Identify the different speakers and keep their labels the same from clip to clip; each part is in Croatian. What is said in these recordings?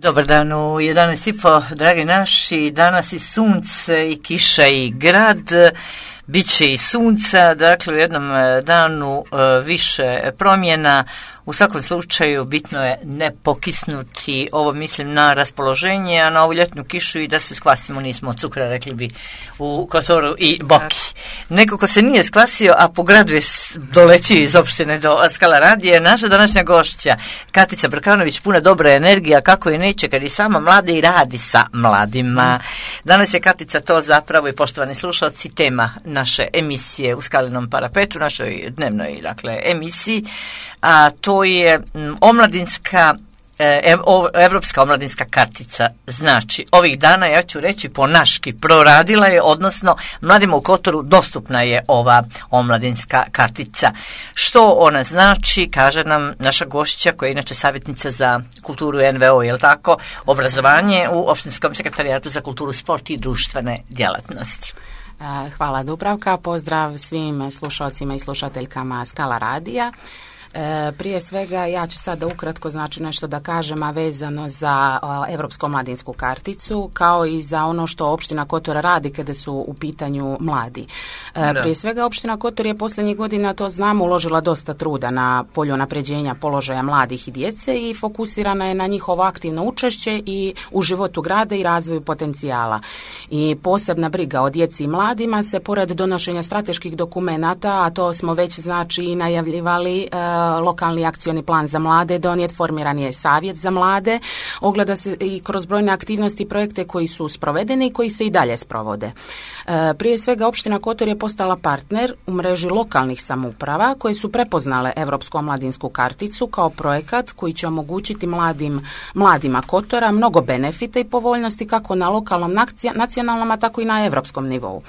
Speaker 1: Dobar dan u 11:30, dragi naši. Danas i sunce i kiša i grad. Biće i sunca, dakle u jednom danu više promjena. U svakom slučaju bitno je ne pokisnuti, ovo mislim na raspoloženje, a na ovu ljetnu kišu i da se skvasimo, nismo od cukra, rekli bi u Kotoru i Boki. Neko ko se nije skvasio, a po gradu je doletio iz opštine do Skala radije, naša današnja gošća, Katica Brkanović, puna dobra energija, kako je neće kad je sama mlada i radi sa mladima. Danas je Katica to zapravo, i poštovani slušalci, tema naše emisije u Skalinom parapetu, našoj dnevnoj emisiji, a to je omladinska Evropska omladinska kartica. Znači, ovih dana, ja ću reći po naški, proradila je, odnosno mladima u Kotoru dostupna je ova omladinska kartica. Što ona znači, kaže nam naša gošća, koja je inače savjetnica za kulturu NVO, je li tako, obrazovanje u Opštinskom sekretarijatu za kulturu, sport i društvene djelatnosti.
Speaker 2: Hvala Dubravka, pozdrav svim slušalcima i slušateljkama Skala radija. Prije svega ja ću sada ukratko nešto da kažem, a vezano za Evropsku omladinsku karticu, kao i za ono što opština Kotor radi kada su u pitanju mladi. Prije svega opština Kotor je posljednjih godina, to znamo, uložila dosta truda na polju unapređenja položaja mladih i djece i fokusirana je na njihovo aktivno učešće i u životu grada i razvoju potencijala. I posebna briga o djeci i mladima se, pored donošenja strateških dokumenata, a to smo već i najavljivali, lokalni akcioni plan za mlade donijet, formiran je savjet za mlade, ogleda se i kroz brojne aktivnosti i projekte koji su sprovedeni i koji se i dalje sprovode. Prije svega opština Kotor je postala partner u mreži lokalnih samouprava koje su prepoznale Evropsku omladinsku karticu kao projekat koji će omogućiti mladima Kotora mnogo benefita i povoljnosti kako na lokalnom, nacionalnom, a tako i na evropskom nivou.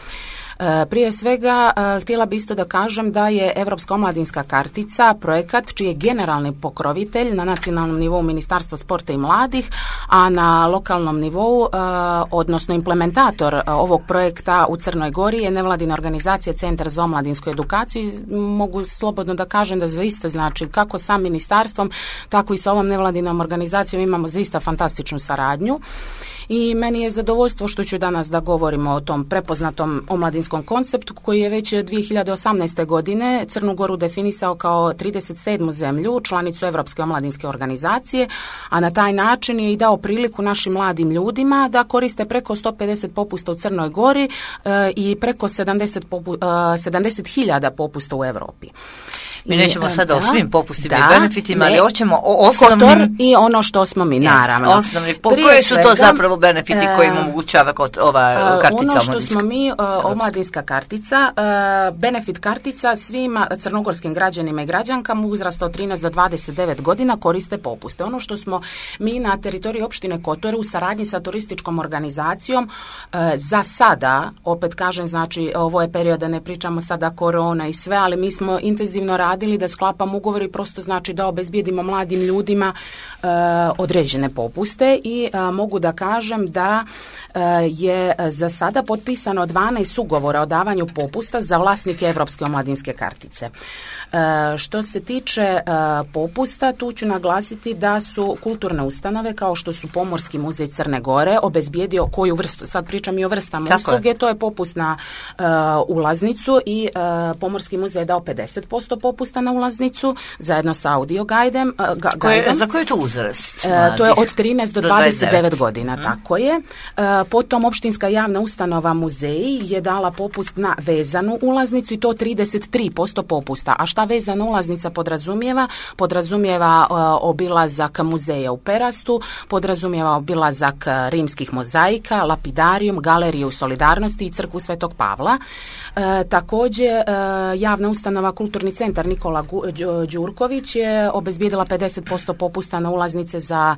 Speaker 2: Prije svega, htjela bi isto da kažem da je Evropska omladinska kartica projekat čiji je generalni pokrovitelj na nacionalnom nivou Ministarstva sporta i mladih, a na lokalnom nivou, odnosno implementator ovog projekta u Crnoj Gori je nevladina organizacija Centar za omladinsku edukaciju i mogu slobodno da kažem da zaista kako sa ministarstvom, tako i sa ovom nevladinom organizacijom imamo zaista fantastičnu saradnju. I meni je zadovoljstvo što ću danas da govorimo o tom prepoznatom omladinskom konceptu koji je već 2018. godine Crnu Goru definisao kao 37. zemlju, članicu Evropske omladinske organizacije, a na taj način je i dao priliku našim mladim ljudima da koriste preko 150 popusta u Crnoj Gori i preko 70.000 popusta u Evropi.
Speaker 1: Mi nećemo sada o svim popustima i benefitima, ali hoćemo o osnovnim...
Speaker 2: Kotor i ono što smo mi, naravno.
Speaker 1: Osnovni, koji su to zapravo benefiti koji im omogućava ova kartica
Speaker 2: omladinska? Ono što smo mi, omladinska kartica, benefit kartica svim crnogorskim građanima i građankama uzrasta od 13 do 29 godina koriste popuste. Ono što smo mi na teritoriji opštine Kotor u saradnji sa turističkom organizacijom za sada, opet kažem, ovo je period da ne pričamo sada korona i sve, ali mi smo intenzivno radili da sklapamo ugovor i prosto da obezbijedimo mladim ljudima određene popuste i mogu da kažem da je za sada potpisano 12 ugovora o davanju popusta za vlasnike Evropske omladinske kartice. Što se tiče popusta, tu ću naglasiti da su kulturne ustanove kao što su Pomorski muzej Crne Gore obezbijedio koju vrstu, sad pričam i o vrstama usluge, to je popust na ulaznicu i Pomorski muzej je dao 50% popusta na ulaznicu zajedno sa audio guidem.
Speaker 1: Za koji je to uzrast?
Speaker 2: To je od 13 do 29 godina, tako je. Potom opštinska javna ustanova muzeji je dala popust na vezanu ulaznicu i to 33% popusta. A šta vezana ulaznica podrazumijeva? Podrazumijeva obilazak muzeja u Perastu, podrazumijeva obilazak rimskih mozaika, lapidarijum, galeriju Solidarnosti i crkvu Svetog Pavla. Također, javna ustanova Kulturni centar Nikola Đurković je obezbijedila 50% popusta na ulaznice za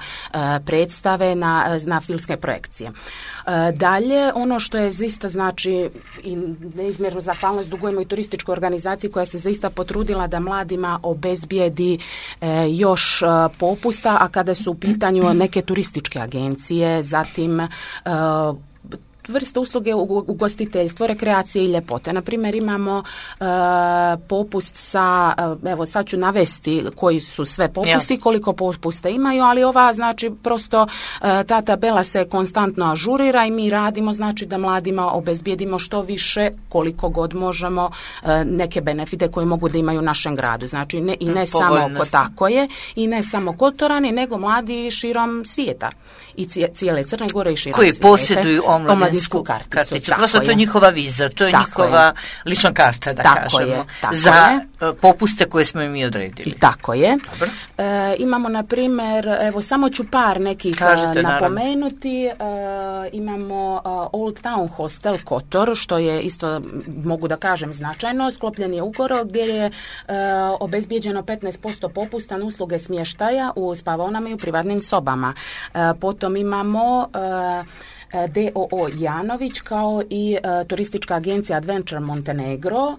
Speaker 2: predstave, na filmske projekcije. Dalje, ono što je zaista i neizmjernu zahvalnost dugujemo i turističkoj organizaciji koja se zaista potrudila da mladima obezbijedi još popusta, a kada su u pitanju neke turističke agencije, zatim vrste usluge ugostiteljstvo, rekreacije i ljepote. Na primjer, imamo popust sa, evo sad ću navesti koji su sve popusti, koliko popusta imaju, ali ova znači prosto ta tabela se konstantno ažurira i mi radimo znači da mladima obezbijedimo što više koliko god možemo neke benefite koje mogu da imaju u našem gradu. Znači ne samo tako je i ne samo Kotorani, nego mladi širom svijeta i cijele Crne Gore i širom
Speaker 1: koji
Speaker 2: svijeta.
Speaker 1: Posjeduju omladinsku karticu. Prosto to je njihova viza, to je njihova lična karta, da kažemo, za popuste koje smo im i odredili.
Speaker 2: Tako je. Imamo, na primjer, evo samo ću par nekih napomenuti. Imamo Old Town Hostel Kotor, što je isto, mogu da kažem, značajno. Sklopljen je ugovor gdje je obezbijeđeno 15% popusta na usluge smještaja u spavaonama i u privatnim sobama. Potom imamo DOO Janović kao i turistička agencija Adventure Montenegro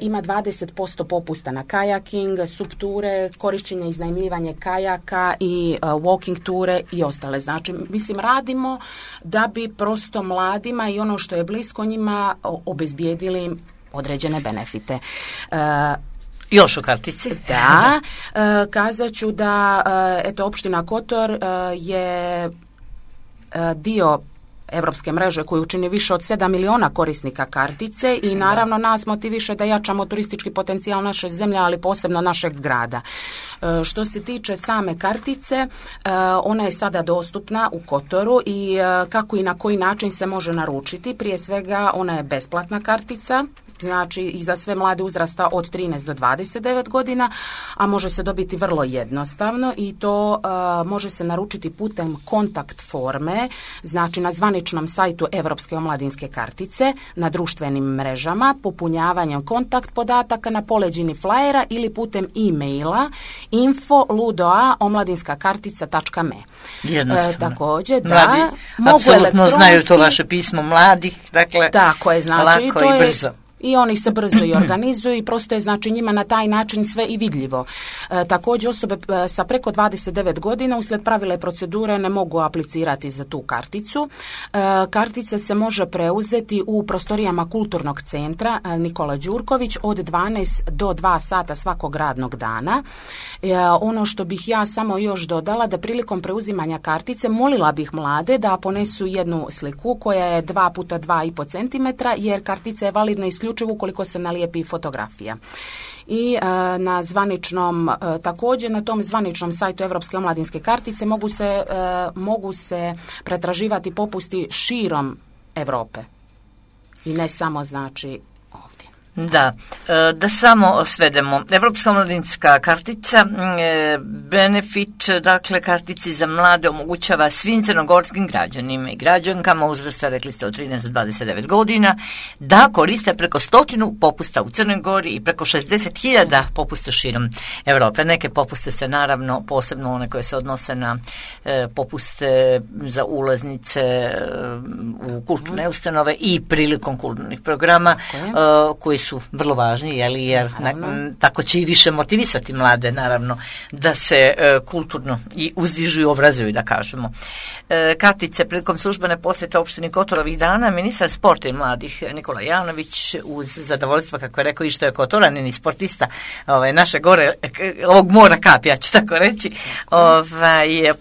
Speaker 2: ima 20% popusta na kajaking, subture, korišćenje i iznajmljivanje kajaka i walking ture i ostale. Znači, mislim, radimo da bi prosto mladima i ono što je blisko njima obezbijedili određene benefite.
Speaker 1: Još o kartici.
Speaker 2: Da, kazat ću da opština Kotor je dio evropske mreže koju čini više od 7 miliona korisnika kartice i naravno nas motiviše da jačamo turistički potencijal naše zemlje, ali posebno našeg grada. Što se tiče same kartice, ona je sada dostupna u Kotoru i kako i na koji način se može naručiti. Prije svega ona je besplatna kartica, znači i za sve mlade uzrasta od 13 do 29 godina, a može se dobiti vrlo jednostavno i to može se naručiti putem kontakt forme, znači na zvaničnom sajtu Evropske omladinske kartice, na društvenim mrežama, popunjavanjem kontakt podataka na poleđini flajera ili putem e-maila info@omladinskakartica.me.
Speaker 1: Jednostavno.
Speaker 2: Također,
Speaker 1: mladi
Speaker 2: mogu
Speaker 1: apsolutno znaju to vaše pismo mladih, dakle,
Speaker 2: tako je, znači,
Speaker 1: lako
Speaker 2: to
Speaker 1: i brzo.
Speaker 2: I oni se brzo i organizuju i prosto je znači njima na taj način sve i vidljivo. Također osobe sa preko 29 godina uslijed pravila i procedure ne mogu aplicirati za tu karticu. Kartica se može preuzeti u prostorijama kulturnog centra Nikola Đurković od 12 do 2 sata svakog radnog dana. Ono što bih ja samo još dodala, da prilikom preuzimanja kartice molila bih mlade da ponesu jednu sliku koja je 2 puta 2,5 cm, jer kartica je validna isključivo ukoliko se nalijepi fotografija. I na zvaničnom, također na tom zvaničnom sajtu Evropske omladinske kartice mogu se pretraživati popusti širom Europe i ne samo znači ovdje.
Speaker 1: Da, da samo svedemo. Evropska omladinska kartica, benefit, dakle, kartici za mlade omogućava svim crnogorskim građanima i građankama uzrasta, rekli ste, od 13 do 29 godina, da koriste preko 100 popusta u Crnoj Gori i preko 60.000 popusta širom Europe. Neke popuste se naravno, posebno one koje se odnose na popuste za ulaznice u kulturne ustanove i prilikom kulturnih programa koji su vrlo važni, jer tako će i više motivisati mlade, naravno, da se kulturno i uzdižu i obrazuju, da kažemo. Kartice prilikom službene posjete opštini Kotor ovih dana, ministar sporta i mladih Nikola Janović, uz zadovoljstvo, kako je rekao, i što je Kotoranin i sportista naše gore, ovog mora kap, ja ću tako reći,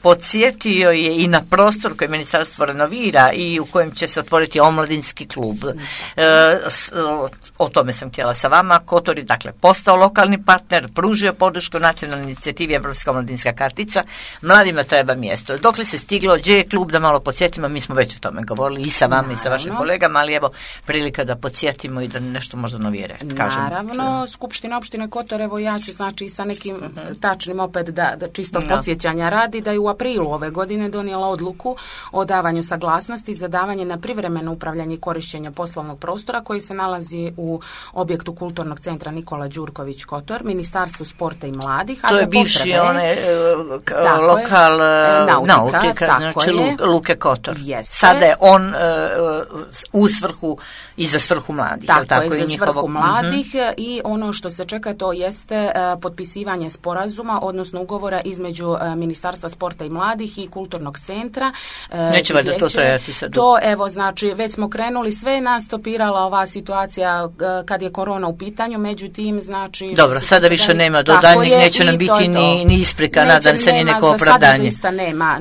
Speaker 1: podsjetio je i na prostor koji ministarstvo renovira i u kojem će se otvoriti omladinski klub. O tome sam htjela sa vama. Kotor je, dakle, postao lokalni partner, pružio podršku nacionalnoj inicijativi Evropska omladinska kartica. Mladima treba mjesto. Dokle se stiglo, gdje je klub, da malo podsjetimo, mi smo već o tome govorili i sa vama i sa vašim kolegama, ali evo prilika da podsjetimo i da nešto možda novije kažemo.
Speaker 2: Naravno, Skupština opštine Kotor, evo ja ću znači sa nekim tačnim opet da čisto podsjećanja radi, da je u aprilu ove godine donijela odluku o davanju saglasnosti za davanje na privremeno upravljanje i korišćenje poslovnog prostora koji se nalazi u objektu Kulturnog centra Nikola Đurković Kotor, Ministarstvo sporta i mladih.
Speaker 1: To je bivši lokal nautika, znači Luke Kotor. Sada je on u svrhu i za svrhu mladih.
Speaker 2: Tako je, za svrhu mladih i ono što se čeka to jeste potpisivanje sporazuma, odnosno ugovora između Ministarstva sporta i mladih i Kulturnog centra.
Speaker 1: Neće valjda to trajati sad?
Speaker 2: To, evo, znači, već smo krenuli, sve je nas stopirala ova situacija kad je korona u pitanju, međutim, znači...
Speaker 1: Dobro, sada više nema do daljnjeg, neće nam biti ni isprika, nadam se, ni neko opravdanje.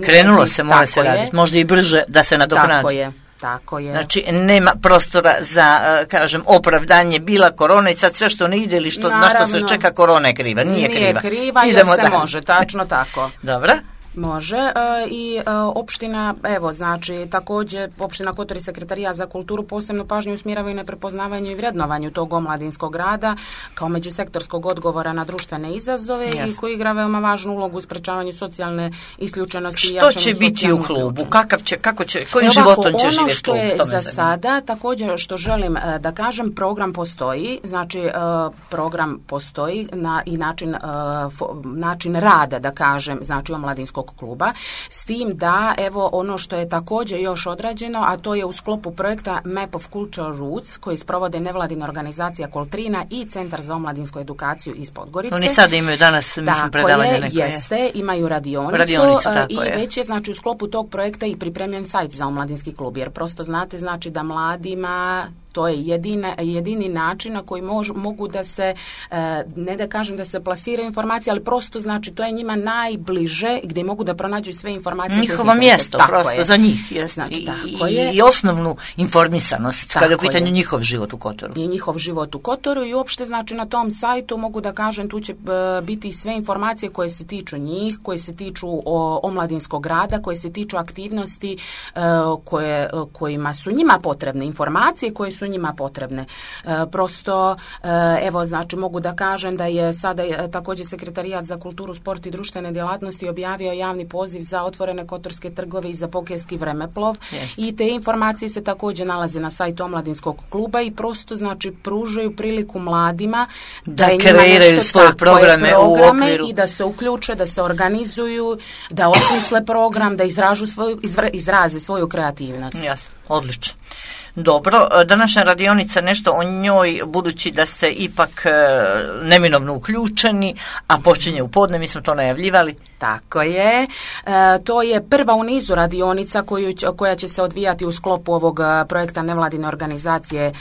Speaker 1: Krenulo se, mora se raditi, možda i brže da se nadoknadi.
Speaker 2: Tako je.
Speaker 1: Znači, nema prostora za, kažem, opravdanje, bila korona i sad sve što ne ide ili na što se čeka, korona je kriva. Nije kriva
Speaker 2: jer se može, tačno tako.
Speaker 1: Dobro.
Speaker 2: Može i opština, evo, znači, također opština Kotor i Sekretarijat za kulturu posebno pažnju usmjeravaju na prepoznavanju i vrednovanju tog omladinskog rada kao međusektorskog odgovora na društvene izazove i koji igra veoma važnu ulogu u sprečavanju socijalne isključenosti.
Speaker 1: Što će biti u klubu? Kojim životom će živjeti klub?
Speaker 2: Ono što je za sada, također što želim da kažem, program postoji, znači program postoji i način rada, da kažem, znači omladinskog kluba, s tim da, evo, ono što je također još odrađeno, a to je u sklopu projekta Map of Cultural Roots, koji sprovode nevladina organizacija Koltrina i Centar za omladinsku edukaciju iz Podgorice.
Speaker 1: Oni sada imaju danas, mislim, predavanje neko.
Speaker 2: Jeste, imaju radionicu i već je, znači, u sklopu tog projekta i pripremljen sajt za omladinski klub, jer prosto znate, znači, da mladima to je jedini način na koji mogu da se, ne da kažem da se plasiraju informacije, ali prosto, znači, to je njima najbliže gdje mogu da pronađu sve informacije.
Speaker 1: Njihovo mjesto, prosto za njih. Znači, i osnovnu informisanost, kada je u pitanju njihov život u Kotoru.
Speaker 2: I njihov život u Kotoru i uopšte, znači, na tom sajtu mogu da kažem, tu će biti sve informacije koje se tiču njih, koje se tiču omladinskog rada, koje se tiču aktivnosti kojima su njima potrebne, informacije koje su njima potrebne. Prosto, evo, znači, mogu da kažem da je sada također Sekretarijat za kulturu, sport i društvene djelatnosti objavio javni poziv za otvorene kotorske trgove i za pokejski vremeplov i te informacije se također nalaze na sajtu omladinskog kluba i prosto, znači, pružaju priliku mladima da
Speaker 1: kreiraju svoje programe u okviru
Speaker 2: i da se uključe, da se organizuju, da osmisle program, da izraze svoju kreativnost.
Speaker 1: Jasno, odlično. Dobro, današnja radionica, nešto o njoj, budući da ste ipak neminovno uključeni, a počinje u podne, mi smo to najavljivali.
Speaker 2: Tako je. To je prva u nizu radionica koja će se odvijati u sklopu ovog projekta nevladine organizacije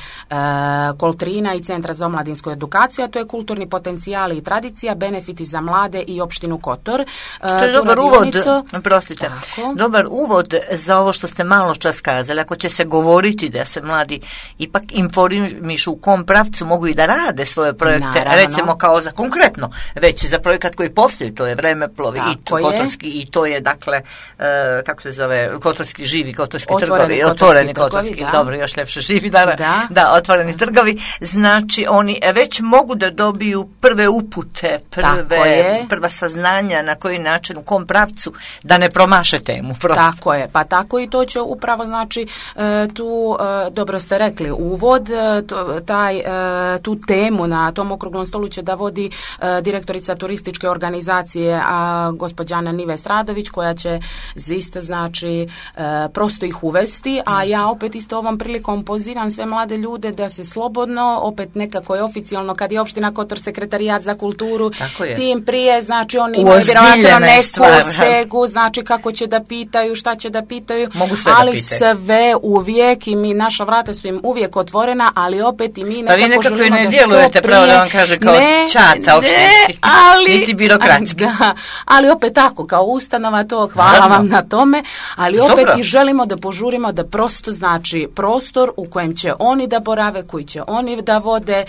Speaker 2: Koltrina i Centra za omladinsku edukaciju, a to je kulturni potencijali i tradicija, benefiti za mlade i opštinu Kotor.
Speaker 1: To je dobar uvod, prostite, dobar uvod za ovo što ste malo čas kazali. Ako će se govoriti da se mladi ipak informišu u kom pravcu mogu i da rade svoje projekte, recimo kao za konkretno, već za projekat koji postoji, to je vremeplov i kotorski, i to je, dakle, kako se zove, kotorski živi, kotorski trgovi, otvoreni kotorski, dobro, još ljepše živi, da, otvoreni trgovi, znači oni već mogu da dobiju prve upute, prva saznanja na koji način, u kom pravcu, da ne promaše temu. Prosto.
Speaker 2: Tako je, pa tako i to će upravo, znači, tu, dobro ste rekli, uvod, tu temu na tom okruglom stolu će da vodi direktorica turističke organizacije, gospođana Nives Radović, koja će isto, znači, prosto ih uvesti, a ja opet isto ovom prilikom pozivam sve mlade ljude da se slobodno, opet nekako je oficijalno, kad je opština Kotor Sekretarijat za kulturu, tim prije, znači, oni imaju vjerojatno neku stegu, znači, kako će da pitaju, šta će da pitaju, ali sve uvijek, i mi, naša vrata su im uvijek otvorena, ali opet i mi nekako želimo da što prije... Pa vi nekako ne djelujete, pravo da vam kaže, kao čata opštinski, niti birokratski. Ali opet tako, kao ustanova, to hvala vam na tome, ali opet i želimo da požurimo da prosto, znači, prostor u kojem će oni da borave, koji će oni da vode,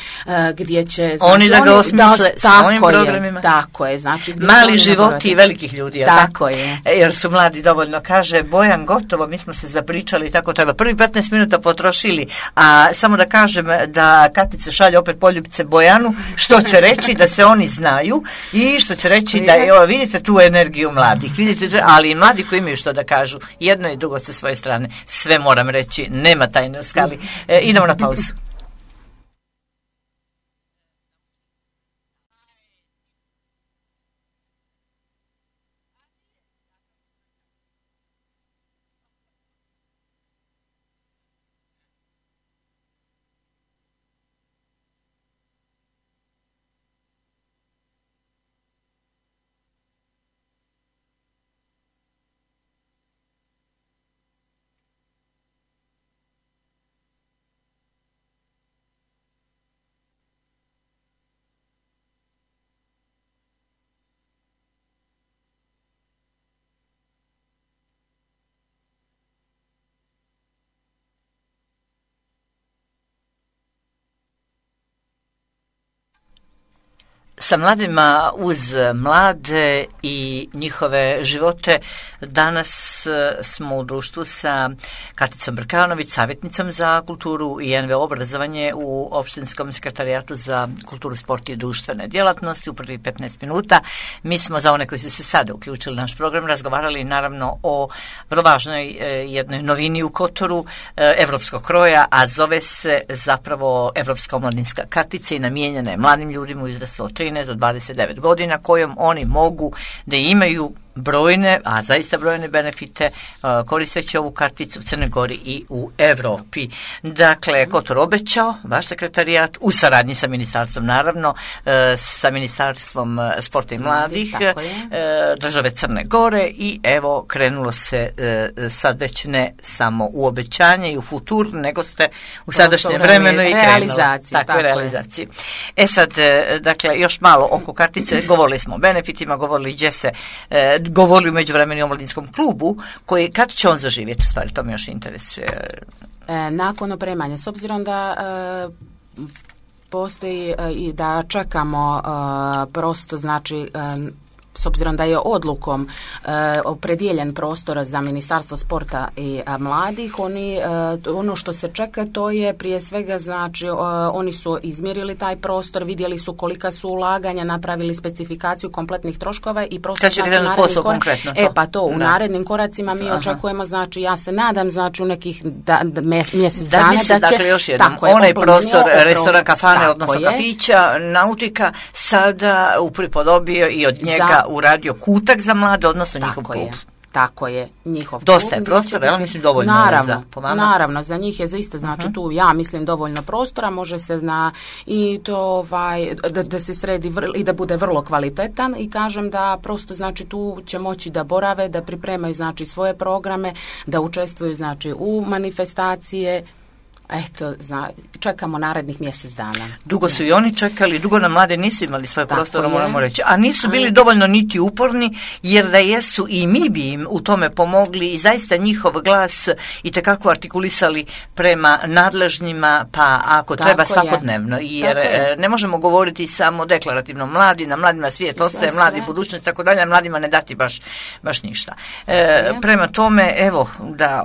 Speaker 2: gdje će... Znači,
Speaker 1: oni da ga osmisle svojim programima.
Speaker 2: Tako je, znači...
Speaker 1: Mali životi velikih ljudi,
Speaker 2: tako je.
Speaker 1: Jer su mladi dovoljno, kaže Bojan, gotovo, mi smo se zapričali i tako treba. Prvi 15 minuta potrošili, a samo da kažem da Katica šalje opet poljubice Bojanu, što će reći da se oni znaju i što će reći da, evo, vidite tu energiju mladih, vidite, ali i mladi koji imaju što da kažu, jedno i drugo sa svoje strane, sve moram reći, nema tajne u skali. Idemo na pauzu. sa mladima uz mlade i njihove živote. Danas smo u društvu sa Katicom Brkanović, savjetnicom za kulturu i NVO obrazovanje u Opštinskom sekretarijatu za kulturu, sport i društvene djelatnosti. U prvi 15 minuta mi smo, za one koji su se sada uključili naš program, razgovarali naravno o vrlo važnoj jednoj novini u Kotoru evropskog kroja, a zove se zapravo Evropska omladinska kartica i namijenjena je mladim ljudima u uzrastu od 13 do 29 godina, kojom oni mogu da imaju brojne, a zaista brojne benefite koristeći ovu karticu u Crnoj Gori i u Evropi. Dakle, Kotor obećao, vaš sekretariyat, u saradnji sa ministarstvom, naravno, sa ministarstvom sporta i mladih države Crne Gore, i evo krenulo se sad već ne samo u obećanje i u futur, nego ste u sadašnjem vremenu i krenuli. Realizaciji. Sad, dakle, još malo oko kartice, govorili smo o benefitima, govorili gdje se govorili u međuvremenu o omladinskom klubu, koji, kad će on zaživjeti, u stvari, to me još interesuje.
Speaker 2: Nakon opremanja, s obzirom da postoji i da čekamo prosto, znači, s obzirom da je odlukom opredijeljen prostor za Ministarstvo sporta i mladih, ono što se čeka, to je prije svega, znači, oni su izmjerili taj prostor, vidjeli su kolika su ulaganja, napravili specifikaciju kompletnih troškova i prostor, znači, u narednim koracima mi očekujemo, znači, ja se nadam, znači, u nekih mjesec dana da će,
Speaker 1: dakle, još jednom, onaj prostor restoran, kafane, odnosno kafića, nautika, sada upripodobio i od njega uradio kutak za mlade, odnosno njihov klub.
Speaker 2: Tako je, njihov
Speaker 1: dosta je prostora, ja mislim dovoljno
Speaker 2: naravno,
Speaker 1: po vama.
Speaker 2: Naravno, za njih je zaista, znači, tu ja mislim dovoljno prostora, može se i to da se sredi i da bude vrlo kvalitetan, i kažem da prosto, znači, tu će moći da borave, da pripremaju, znači, svoje programe, da učestvuju, znači, u manifestacije. Eto, čekamo narednih mjesec dana.
Speaker 1: Dugo su i oni čekali, dugo nam mlade nisu imali svoje prostore, moramo reći. A nisu bili dovoljno niti uporni, jer da jesu i mi bi im u tome pomogli i zaista njihov glas itekako artikulisali prema nadležnjima, pa ako treba svakodnevno. Jer ne možemo govoriti samo deklarativno mladi, na mladima svijet ostaje, mladi budućnost, tako dalje, a mladima ne dati baš ništa. Prema tome, evo, da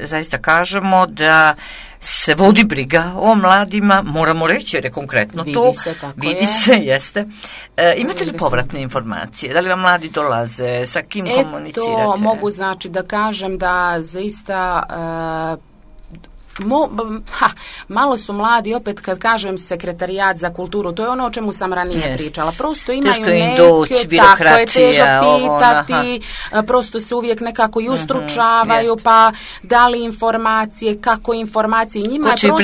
Speaker 1: zaista kažemo da se vodi briga o mladima, moramo reći, jer je konkretno to. Vidi se, jeste. Imate li povratne informacije? Da li vam mladi dolaze? Sa kim komunicirate?
Speaker 2: To mogu, znači, da kažem da zaista malo su mladi, opet kad kažem sekretarijat za kulturu, to je ono o čemu sam ranije pričala. Prosto imaju tako je težo pitati, prosto se uvijek nekako i ustručavaju, pa da li informacije, kako informacije, njima je prosto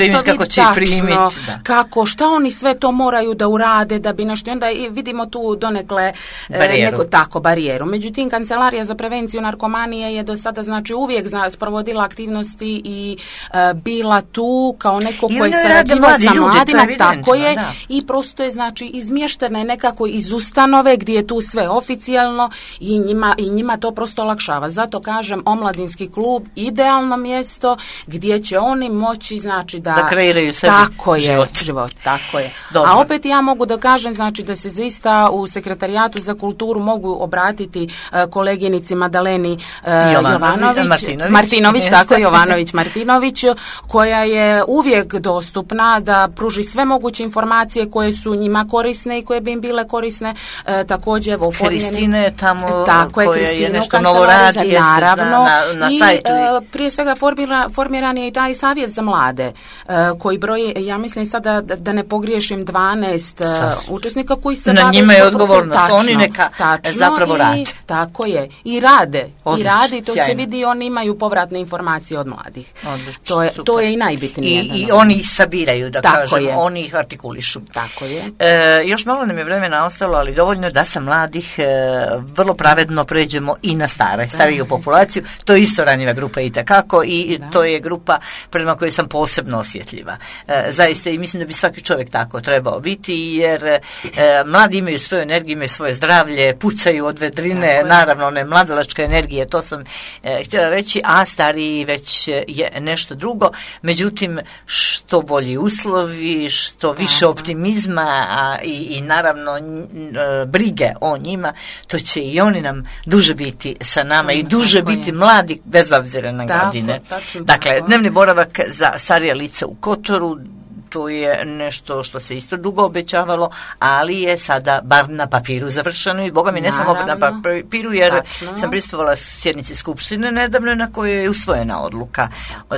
Speaker 2: šta oni sve to moraju da urade da bi nešto, i onda vidimo tu donekle barijeru. Međutim, Kancelarija za prevenciju narkomanije je do sada, znači, uvijek sprovodila aktivnosti i bila tu kao neko koji se sarađivao sa mladima, tako je, i prosto je, znači, izmještena je nekako iz ustanove gdje je tu sve oficijalno i njima to prosto olakšava. Zato kažem, omladinski klub idealno mjesto gdje će oni moći, znači, da
Speaker 1: kreiraju sebi
Speaker 2: život. Tako je. Dobro. A opet ja mogu da kažem, znači, da se zaista u Sekretarijatu za kulturu mogu obratiti koleginici Madaleni Martinović, koja je uvijek dostupna da pruži sve moguće informacije koje su njima korisne i koje bi im bile korisne. Također, evo,
Speaker 1: Kristina je tamo, koja je nešto novo radi,
Speaker 2: naravno,
Speaker 1: na sajtu.
Speaker 2: Prije svega formiran je i taj savjet za mlade, koji broji, ja mislim sada da ne pogriješim, 12 učesnika koji se
Speaker 1: na njima je odgovornost, oni neka zapravo rade.
Speaker 2: Tako je, i rade, to sjajno. Se vidi, oni imaju povratne informacije od mladih. To je i najbitnije.
Speaker 1: I oni ih sabiraju, da kažem, oni ih artikulišu.
Speaker 2: Tako je.
Speaker 1: Još malo nam je vremena ostalo, ali dovoljno da sa mladih vrlo pravedno pređemo i na stariju populaciju. To je isto ranjiva grupa itekako, i to je grupa prema kojoj sam posebno osjetljiva. Zaista, i mislim da bi svaki čovjek tako trebao biti, jer mladi imaju svoju energiju, imaju svoje zdravlje, pucaju od vedrine, naravno one mladalačke energije, to sam htjela reći, a stariji već je nešto drugo. teško, međutim što bolji uslovi, što više optimizma i naravno brige o njima, to će i oni nam duže biti sa nama i duže biti mladi bez obzira na godine. Dakle, dnevni boravak za starija lica u Kotoru, to je nešto što se isto dugo obećavalo, ali je sada bar na papiru završeno i boga mi ne samo na papiru, jer sam pristupala sjednici Skupštine nedavno na kojoj je usvojena odluka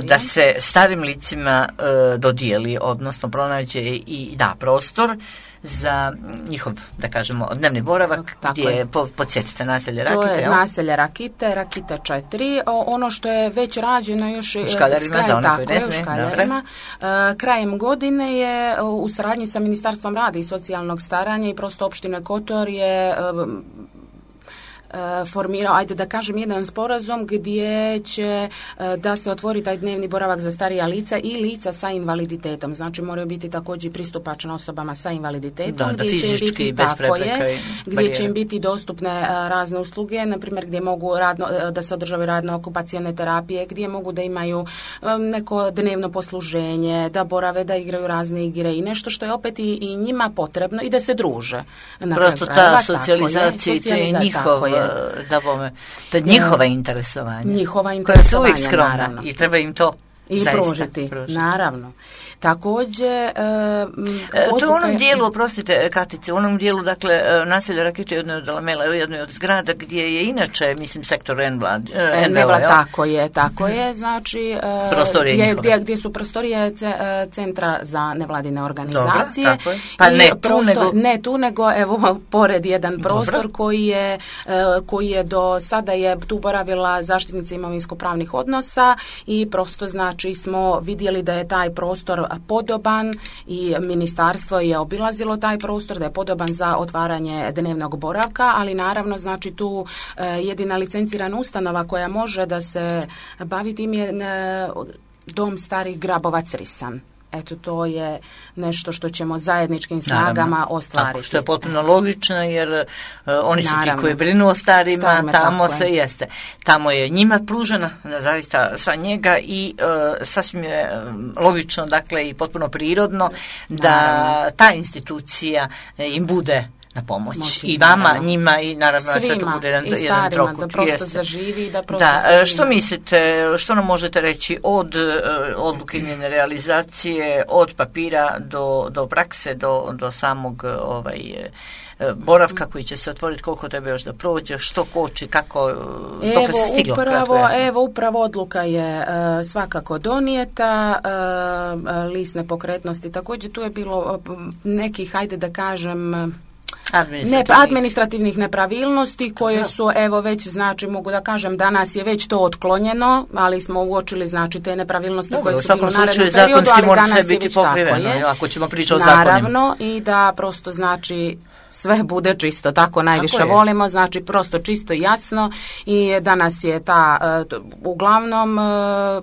Speaker 1: da se starim licima dodijeli, odnosno pronađe i da prostor za njihov, da kažemo, dnevni boravak, gdje je, podsjetite, naselje Rakite.
Speaker 2: To je naselje Rakite, Rakita 4. Ono što je već rađeno još
Speaker 1: u Škaljarima, za one koji ne smije.
Speaker 2: Krajem godine je u saradnji sa Ministarstvom rada i socijalnog staranja i prosto opštine Kotor je formirao, ajde da kažem, jedan sporazum gdje će da se otvori taj dnevni boravak za starija lica i lica sa invaliditetom. Znači moraju biti također pristupačne osobama sa invaliditetom,
Speaker 1: gdje će biti
Speaker 2: gdje će im biti dostupne razne usluge, na primjer gdje mogu da se održavaju radno-okupacione terapije, gdje mogu da imaju neko dnevno posluženje, da borave, da igraju razne igre i nešto što je opet i njima potrebno i da se druže.
Speaker 1: Prosto ta socijalizacija i njihov da njihova interesovanja koja su uvijek skromna, naravno. I treba im to
Speaker 2: i pružiti, naravno. Također
Speaker 1: to u onom dijelu, oprostite Katice, u onom dijelu, dakle, naselje Rakite je jednoj od zgrada gdje je inače, mislim, sektor
Speaker 2: Envela, tako je, znači gdje su prostorije centra za nevladine organizacije.
Speaker 1: Dobro, pa
Speaker 2: ne tu nego evo pored jedan prostor koji je do sada je tu boravila zaštitnica imovinsko-pravnih odnosa i prosto znači smo vidjeli da je taj prostor podoban i ministarstvo je obilazilo taj prostor, da je podoban za otvaranje dnevnog boravka, ali naravno znači tu jedina licencirana ustanova koja može da se bavi tim je Dom starih Grabovac Risan. Eto, to je nešto što ćemo zajedničkim snagama ostvariti.
Speaker 1: Tako, što je potpuno logično, jer oni su ti koji brinu o starima, tamo se jeste. Tamo je njima pružena zaista sva njega i sasvim je logično, dakle, i potpuno prirodno da ta institucija im bude na pomoć. I vama, njima i naravno sve to bude jedan trokut.
Speaker 2: Da prosto zaživi, da prosto
Speaker 1: što mislite, što nam možete reći od odluke njene realizacije, od papira do prakse, do samog boravka koji će se otvoriti, koliko treba još da prođe, što koči, kako, dok se stiglo?
Speaker 2: Upravo odluka je svakako donijeta, list nepokretnosti također, tu je bilo nekih, hajde da kažem, administrativnih nepravilnosti koje su već, znači mogu da kažem danas je već to otklonjeno, ali smo uočili znači te nepravilnosti koje su bile u narednom periodu, ali danas je već tako je.
Speaker 1: Ako ćemo pričati o zakonima.
Speaker 2: Naravno, i da prosto znači sve bude čisto, tako najviše volimo, znači prosto čisto i jasno i danas je uglavnom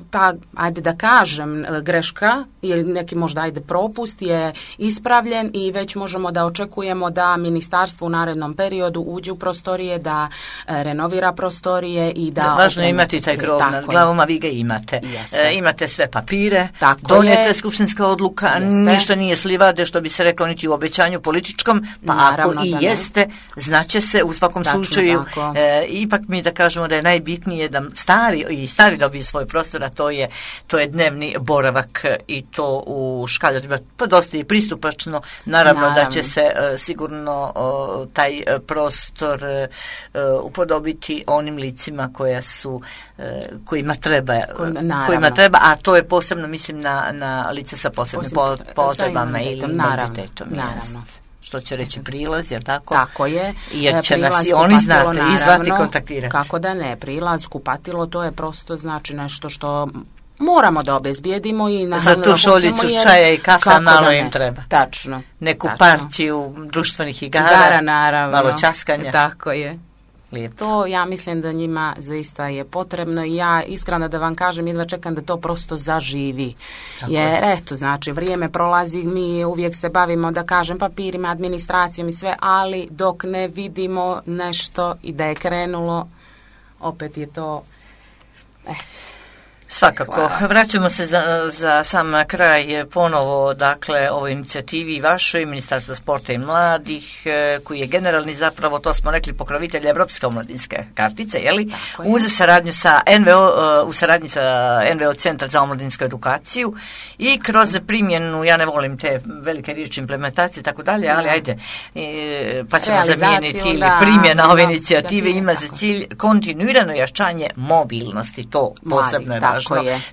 Speaker 2: ta, ajde da kažem, greška ili neki možda propust je ispravljen i već možemo da očekujemo da ministarstvo u narednom periodu uđe u prostorije, da renovira prostorije i da...
Speaker 1: Važno je imati taj krov nad glavom, a vi ga imate. Imate sve papire, donijete skupštinska odluka, ništa nije slivade, što bi se reklo, niti u obećanju političkom, pa ako i jeste, znaće se u svakom slučaju. Ipak mi da kažemo da je najbitnije da stari dobiju svoj prostor, a to je dnevni boravak i to u Škaljarima. Pa dosta je pristupačno. Naravno da će se sigurno taj prostor upodobiti onim licima kojima treba, a to je posebno, mislim, na lice sa posebnim potrebama ili invaliditetom.
Speaker 2: Naravno.
Speaker 1: Što će reći prilaz, je tako?
Speaker 2: Tako je.
Speaker 1: Jer će nas i oni znate izvati, kontaktirati.
Speaker 2: Kako da ne, prilaz, kupatilo, to je prosto znači nešto što moramo da obezbijedimo i
Speaker 1: za tu šoljicu čaja i kafa malo im treba.
Speaker 2: Tačno.
Speaker 1: Neku partiju društvenih igara,
Speaker 2: naravno.
Speaker 1: Malo časkanja.
Speaker 2: Tako je.
Speaker 1: Lijepo.
Speaker 2: To ja mislim da njima zaista je potrebno i ja iskreno da vam kažem, jedva čekam da to prosto zaživi. Jer eto, znači vrijeme prolazi, mi uvijek se bavimo, da kažem, papirima, administracijom i sve, ali dok ne vidimo nešto i da je krenulo, opet je to
Speaker 1: Svakako.
Speaker 2: Hvala.
Speaker 1: Vraćamo se za sam kraj ponovo, dakle, ovoj inicijativi vašoj, Ministarstva sporta i mladih, koji je generalni zapravo, to smo rekli, pokrovitelj Evropske omladinske kartice, jeli? Uz saradnju sa NVO, u saradnji sa NVO Centar za omladinsku edukaciju i kroz primjenu, ja ne volim te velike riječi implementacije i tako dalje, ali ajde, pa ćemo zamijeniti ili primjena ove inicijative ima za cilj kontinuirano jačanje mobilnosti, to posebno je važno.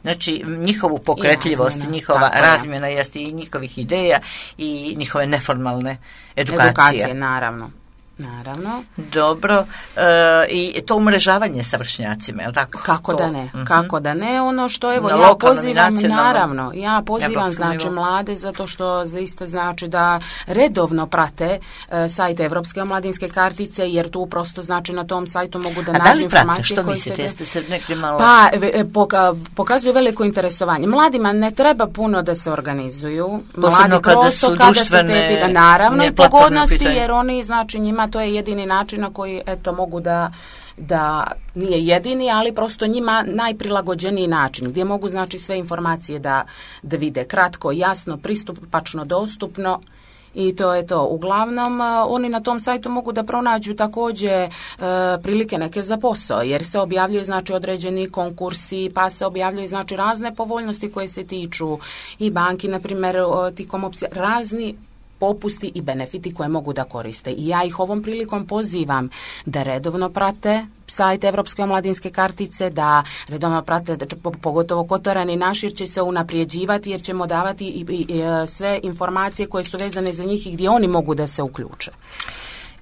Speaker 1: Znači, njihovu pokretljivost, njihova razmjena jeste i njihovih ideja i njihove neformalne edukacije.
Speaker 2: Naravno.
Speaker 1: Dobro. I to umrežavanje sa vršnjacima, je li tako?
Speaker 2: Kako da ne? Kako da ne? Ono što evo ja pozivam, naravno, ja pozivam znači mlade zato što zaista znači da redovno prate sajt Evropske omladinske kartice, jer tu prosto znači na tom sajtu mogu da nađu informacije koje se...
Speaker 1: Jeste se negdje malo...
Speaker 2: Pa, pokazuju veliko interesovanje. Mladima ne treba puno da se organizuju.
Speaker 1: Posebno kada su društvene...
Speaker 2: Naravno, i pogodnosti, jer oni, znači, njima to je jedini način na koji, eto, mogu da nije jedini, ali prosto njima najprilagođeniji način, gdje mogu, znači, sve informacije da vide kratko, jasno, pristupačno, dostupno. I to je to. Uglavnom, oni na tom sajtu mogu da pronađu također prilike neke za posao, jer se objavljuju, znači, određeni konkursi, pa se objavljuju, znači, razne povoljnosti koje se tiču i banki, na primjer, tikom opcija, razni popusti i benefiti koje mogu da koriste. I ja ih ovom prilikom pozivam da redovno prate sajt Evropske omladinske kartice, da redovno prate, pogotovo Kotorani naši, jer će se unaprijeđivati, jer ćemo davati i sve informacije koje su vezane za njih i gdje oni mogu da se uključe.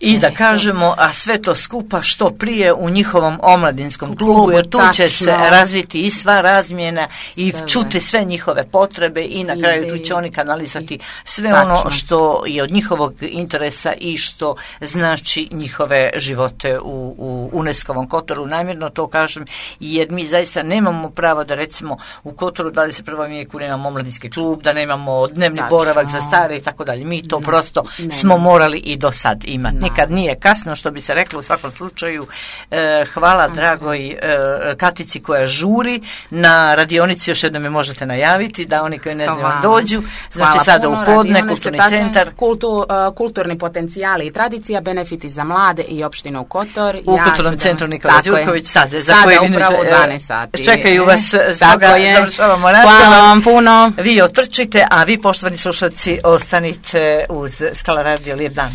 Speaker 1: I da kažemo, a sve to skupa što prije u njihovom omladinskom klubu, jer tu će se razviti i sva razmjena i čuti sve njihove potrebe i na kraju tu će oni kanalizati sve ono što je od njihovog interesa i što znači njihove živote u UNESCO-ovom Kotoru. Namjerno to kažem, jer mi zaista nemamo pravo da, recimo, u Kotoru 21. vijeku nemamo omladinski klub, da nemamo dnevni boravak za stare i tako dalje. Mi to prosto smo morali i do sad imati. Nikad nije kasno, što bi se reklo u svakom slučaju. Hvala dragoj Katici koja žuri na radionici, još jednom je možete najaviti da oni koji ne znaju dođu. Znači sada u podne, kulturni centar.
Speaker 2: Kulturni potencijali i tradicija, benefiti za mlade i opštinu Kotor.
Speaker 1: U kulturnom centru Nikola Đurković sada
Speaker 2: upravo u 12 sati.
Speaker 1: Čekaju vas, stoga završavamo razgovor.
Speaker 2: Hvala vam puno.
Speaker 1: Vi otrčite, a vi, poštovani slušalci, ostanite uz Skala radio. Lijep dan.